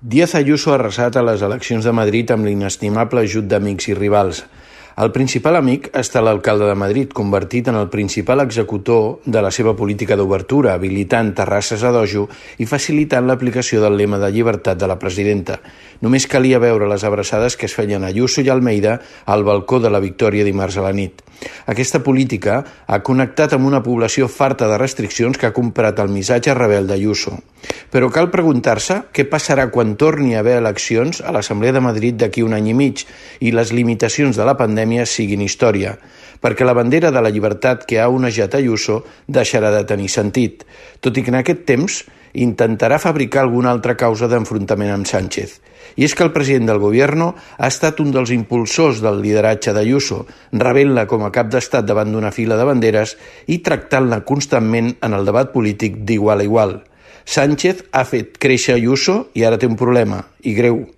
Díaz Ayuso ha arrasat a les eleccions de Madrid amb l'inestimable ajut d'amics i rivals. El principal amic ha estat l'alcalde de Madrid, convertit en el principal executor de la seva política d'obertura, habilitant terrasses a dojo i facilitant l'aplicació del lema de llibertat de la presidenta. Només calia veure les abraçades que es feien Ayuso i Almeida al balcó de la Victòria dimarts a la nit. Aquesta política ha connectat amb una població farta de restriccions que ha comprat el missatge rebel d'Ayuso. Però cal preguntar-se què passarà quan torni a haver eleccions a l'Assemblea de Madrid d'aquí un any i mig i les limitacions de la pandèmia siguin història, perquè la bandera de la llibertat que ha onejat Ayuso deixarà de tenir sentit, tot i que en aquest temps intentarà fabricar alguna altra causa d'enfrontament amb Sánchez. I és que el president del Gobierno ha estat un dels impulsors del lideratge d'Ayuso, rebent-la com a cap d'estat davant d'una fila de banderes i tractant-la constantment en el debat polític d'igual a igual. Sánchez ha fet créixer Ayuso i ara té un problema, i greu.